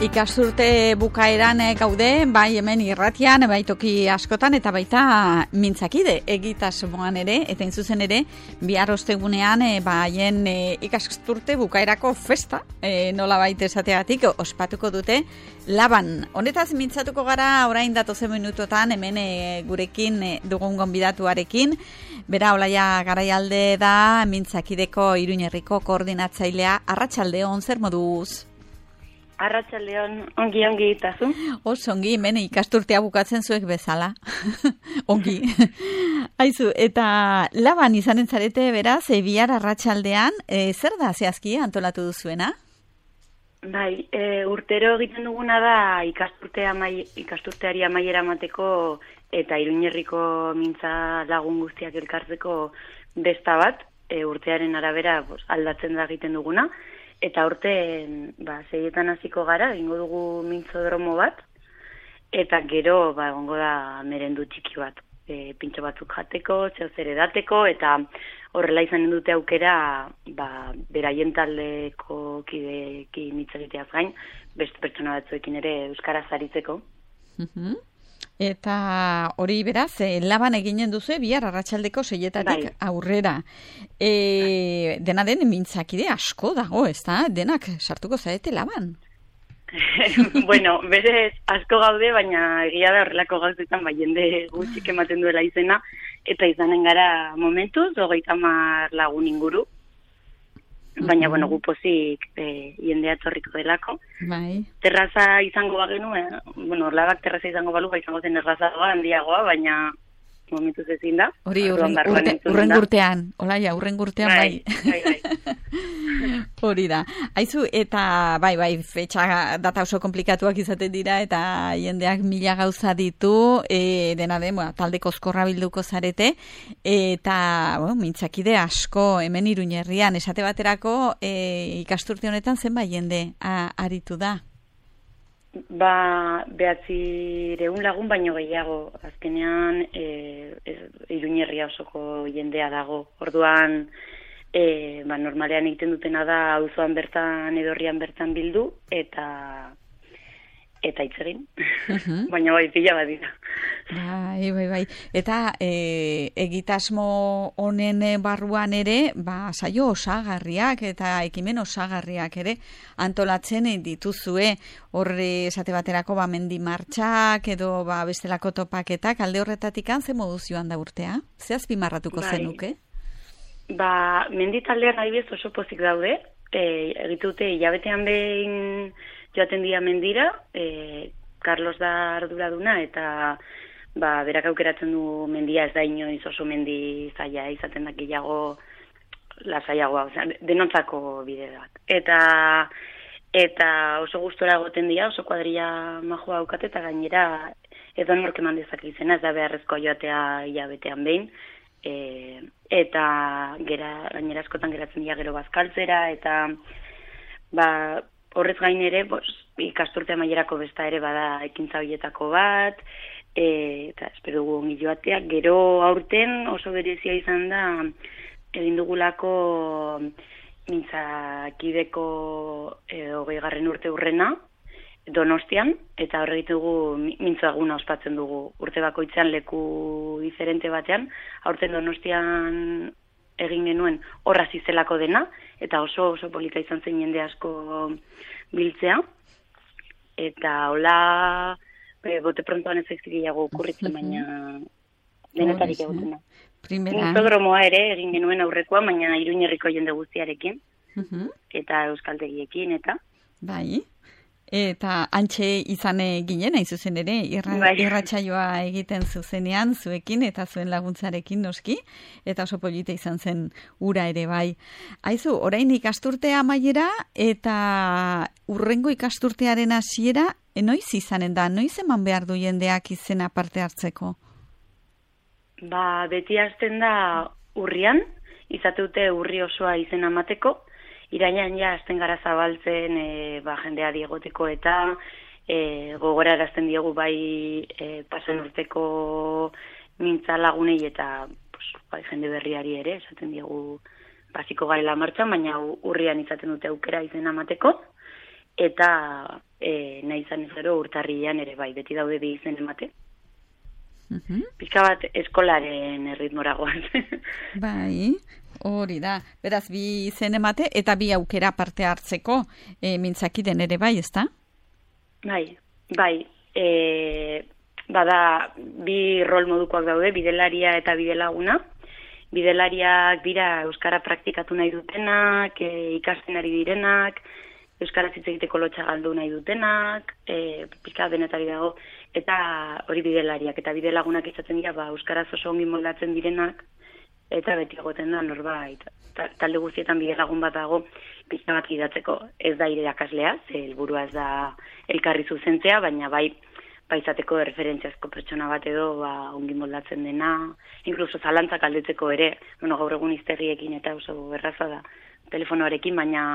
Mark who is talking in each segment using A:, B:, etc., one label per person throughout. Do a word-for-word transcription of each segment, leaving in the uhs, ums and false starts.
A: Ikasturte bukaeran gaude, bai hemen irratian, bai toki askotan, eta baita mintzakide egitasmoan ere, eta intzuzen ere, bihar ostegunean, e, ba, haien e, ikasturte bukaerako festa, e, nola baita esateatik, ospatuko dute Laban. Honetaz mintzatuko gara orain datozen minutotan, hemen e, gurekin e, dugun gonbidatuarekin, bera Olaia Garaialde da, mintzakideko Iruñerriko koordinatzailea. Arratsaldeon, zer moduz?
B: Arratsaldeon, ongi ongi itazu.
A: Oso ongi, hemen ikasturtea bukatzen zuek bezala. Ongi. Aizu, eta Laban izanen zarete beraz, e, bihar arratsaldean, e, zer da zehazki antolatu duzuena?
B: Bai, e, urtero egiten duguna da ikasturtea amai, ikasturteari amaiera emateko eta Iruñerriko mintza lagun guztiak elkartzeko besta bat, e, urtearen arabera pues, aldatzen da egiten duguna. Eta urte, ba, seietan hasiko gara, egingo dugu mintzodromo bat, eta gero, ba, egongo da merendu txiki bat, e, pintxo batzuk jateko, zeo zer edateko, eta horrela izanen dute aukera, ba, beraien taldeko kideekin hitz egiteaz gain, beste pertsona batzuekin ere euskaraz aritzeko.
A: Uh-huh. Eta hori beraz, eh, Laban eginen duzu bihar arratsaldeko seietatik bai. Aurrera. E, dena den mintzakide asko dago, ez da? Denak sartuko zaete Laban?
B: Bueno, berez asko gaude, baina egia da horrelako gauzetan bai jende gutxik ematen duela izena, eta izanen gara momentuz, hogeita hamar lagun inguru. Baina, bueno, gu pozik e, jendea torriko delako.
A: Bai.
B: Terraza izango bagenu, eh? Bueno, Labak terraza izango balu, ba izango zen errazagoa, handiagoa, baina momentuz ezin da.
A: Hori, urren, urte, urren gurtean, Olaia, urren gurtean bai.
B: Bai, bai, bai.
A: Hori da. Aizu, eta bai, bai, fetxa data oso komplikatuak izaten dira, eta jendeak mila gauza ditu, e, dena den, bueno, talde koskorra bilduko zarete, eta, bueno, mintzakide asko, hemen Iruñerrian, esate baterako, e, ikasturte honetan zenbait jende a, aritu da?
B: Ba, behatzireun lagun baino gehiago, azkenean e, e, Iruñerria osoko jendea dago, orduan, E, ba, normalean egiten dutena da auzoan bertan edorrian bertan bildu eta eta hitz egin. Uh-huh. Baina bai pila bat dira.
A: Bai, bai, bai. Eta e, egitasmo honen barruan ere, ba, saio osagarriak eta ekimen osagarriak ere antolatzen dituzue. Horre esate baterako ba mendi martxak edo ba bestelako topaketak alde horretatik ze moduz joan da urtea? Ze azpimarratuko bai. Zenuke?
B: Ba, menditaldean adibidez oso pozik daude, e, egitute hilabetean behin joaten dira mendira, e, Carlos da arduraduna eta ba, berak aukeratzen du mendia, ez da inoiz oso mendi zaila, izaten da gehiago lasaiagoa, osea, denontzako bide bat. Eta eta oso gustora egoten dira, oso kuadrilla majoa aukate eta gainera edo nork eman dezake izena, ez da beharrezkoa joatea hilabetean behin. E, eta gera, gainera askotan geratzen dira gero bazkaltzera, eta ba, horrez gain ere bos, ikasturte amaierako besta ere bada ekintza horietako bat, e, eta espero dugu ongi joatea. Gero aurten oso berezia izan da egin dugulako mintzakideko e, hogeigarren urte urrena Donostian, eta horre ditugu mintzaguna ospatzen dugu urte bakoitzean leku diferente batean, aurten Donostian egin genuen horra zizelako dena, eta oso oso polita izan zen jende asko biltzea, eta hola e, bote prontoan ez egiago okurritzen, baina denetarik egoten da. Mintzodromoa ere egin genuen aurrekoa, baina Iruñerriko jende guztiarekin, uh-huh. eta euskaltegiekin, eta...
A: Bai. Eta antxe izan ginen, hain zuzen ere, irra, bai. Irratsaioa egiten zuzenean, zuekin eta zuen laguntzarekin noski, eta oso polita izan zen ura ere bai. Aizu, orain ikasturtea amaiera eta urrengo ikasturtearen hasiera, noiz izanen da, noiz eman behar du jendeak izena parte hartzeko?
B: Ba, beti hasten da urrian, izateute urri osoa izena emateko, irainan ja azten gara zabaltzen e, ba, jendea diegoteko eta e, gogorarazten diegu bai e, pasen urteko mintza lagunei eta pues, bai, jende berriari ere, esaten diegu basiko garela martxan, baina urrian izaten dute aukera izena emateko. eta e, nahi izan ez gero urtarrian ere bai, beti daude bi izen emate.
A: Uh-huh.
B: Pizka bat eskolaren erritmora goaz.
A: Bai, hori da. Beraz, bi izen emate eta bi aukera parte hartzeko e, mintzakiden ere bai, ezta?
B: Bai, bai. E, bada, bi rol modukoak daude, bidelaria eta bidelaguna. Bidelariak dira euskara praktikatu nahi dutenak, e, ikasten ari direnak, euskara hitz egiteko lotxa galdu nahi dutenak, e, pizka denetari dago, eta hori bidelariak, eta bidelagunak izaten dira, ba, euskaraz oso ongi moldatzen direnak, eta beti egoten da norbait. Talde guztietan bidelagun bat dago, pizka bat gidatzeko, ez da irakaslea, ze helburua ez da elkarri zuzentzea, baina bai, paizateko referentziazko pertsona bat edo ba, ongi moldatzen dena, inkluso zalantzak aldetzeko ere, bueno, gaur egun izterriekin eta oso erraza da telefonoarekin, baina,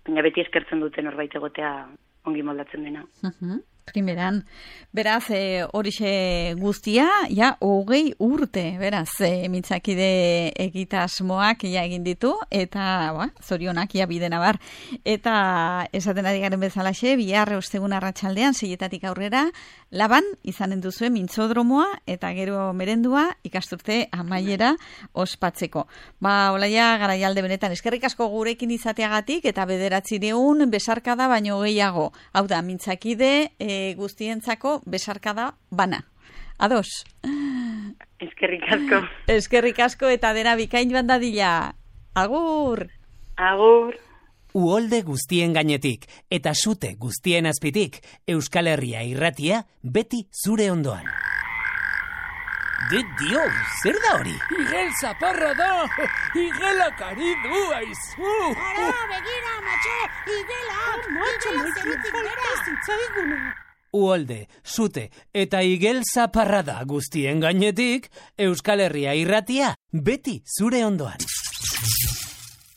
B: baina beti eskertzen duten norbait egotea ongi moldatzen dena.
A: Uh-huh. Primeran, beraz, e, horixe guztia, ja, hogei urte, beraz, e, mintzakide egitasmoak ja egin ditu, eta, ba, zorionak ja bidena bar. Eta, esaten ari garen bezalaxe, bihar ostegun arratsaldean, seietatik aurrera, laban, izanen duzue mintzodromoa, eta gero merendua, ikasturte amaiera ospatzeko. Ba, Olaia, Garaialde benetan, eskerrik asko gurekin izateagatik, eta bederatzireun besarkada baino gehiago. Hau da, mintzakide, e, guztientzako besarkada bana. Ados?
B: Eskerrik asko.
A: Eskerrik asko eta dena bikain bandadila. Agur!
B: Agur!
C: Uholde guztien gainetik eta sute guztien azpitik, Euskal Herria irratia beti zure ondoan. De dio, zer da hori?
D: Igel zaparra da! Igelak ari du, aizu!
E: Ara, begira, matxo! Igelak! Igela zerutik bera!
C: Uholde, sute eta igel zaparrada guztien gainetik, Euskal Herria irratia beti zure ondoan.